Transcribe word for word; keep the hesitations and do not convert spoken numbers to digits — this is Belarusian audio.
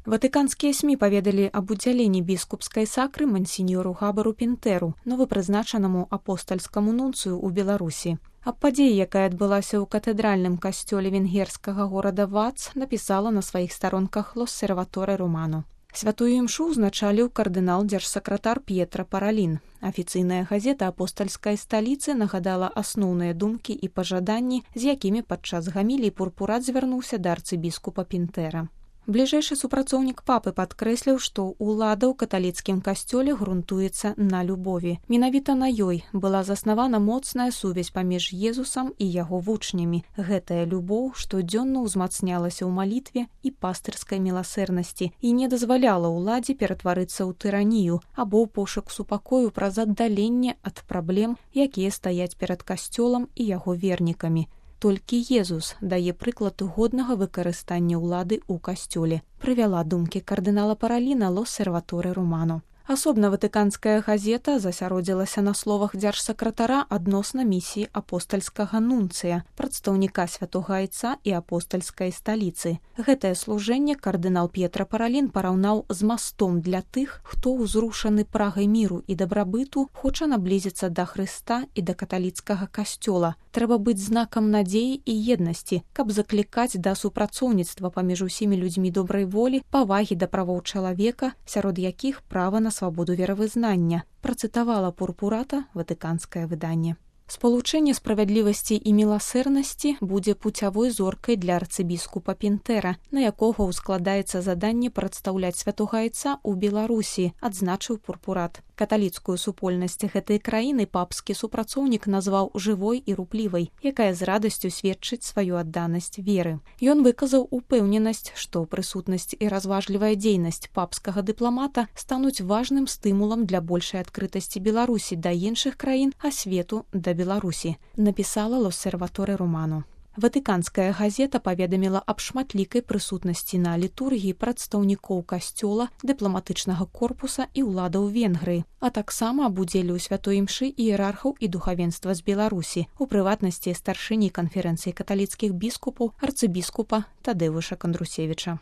Ватыканскія СМІ паведалі аб удзяленні біскупскай сакры мансіньору Габару Пінтэру, новапрызначанаму апостальскаму нунцыю ў Беларусі. Аб падзеі, якая адбылася ў катэдральным касцёле венгерскага горада Вац, напісала на сваіх старонках L'Osservatore Romano. Святую імшу ўзначаліў кардынал-дзяржсакратар П'етра Паралін. Афіцыйная газета апостальскай сталіцы нагадала асноўныя думкі і пажаданні, з якімі падчас гаміліі пурпурат звярнуўся да арцыбіскупа Пінтэра. Бліжэйшы супрацоўнік папы падкрэсліў, што ўлада ў каталіцкім касцёле грунтуецца на любові. Менавіта на ёй была заснавана моцная сувязь паміж Езусам і яго вучнямі. Гэтая любоў штодзённа ўзмацнялася ў малітве і пастырскай міласэрнасці і не дазваляла ўладзе ператварыцца ў тыранію або ў пошук супакою праз аддаленне ад праблем, якія стаяць перад касцёлам і яго вернікамі. Толькі Езус дае прыклад годнага выкарыстання ўлады ў касцёле, прывяла думкі кардынала Параліна L'Osservatore Romano. Асобна ватыканская газета засяродзілася на словах дзяржсакратара адносна місіі апостальскага нунцыя, прадстаўніка святога айца і апостальскай сталіцы. Гэтае служэнне кардынал П'етра Паралін параўнаў з мастом для тых, хто ўзрушаны прагай міру і дабрабыту хоча наблізіцца да Хрыста і да каталіцкага касцёла. Трэба быць знакам надзеі і еднасці, каб заклікаць да супрацоўніцтва паміж усімі людзьмі добрай волі, павагі да правоў чалавека, сярод якіх права на свабоду веравызнання, працытавала пурпурата ватыканскае выданне. Спалучэнне справядлівасці і міласэрнасці будзе пуцявой зоркай для арцыбіскупа Пінтэра, на якога ўскладаецца заданне прадстаўляць святога айца ў Беларусі, адзначыў пурпурат. Каталіцкую супольнасць гэтай краіны папскі супрацоўнік назваў жывой і руплівай, якая з радасцю сведчыць сваю адданасць веры. Ён выказаў упэўненасць, што прысутнасць і разважлівая дзейнасць папскага дыпламата стануць важным стымулам для большай адкрытасці Беларусі да іншых краін, а свету да Беларусі, напісала L'Osservatore Romano. Ватыканская газета паведаміла аб шматлікай прысутнасці на літургіі прадстаўнікоў касцёла, дыпламатычнага корпуса і ўладаў Венгрыі, а таксама аб удзеле ў святой імшы іерархаў і духавенства з Беларусі, у прыватнасці старшыні канферэнцыі каталіцкіх біскупаў арцыбіскупа Тадэвуша Кандрусевіча.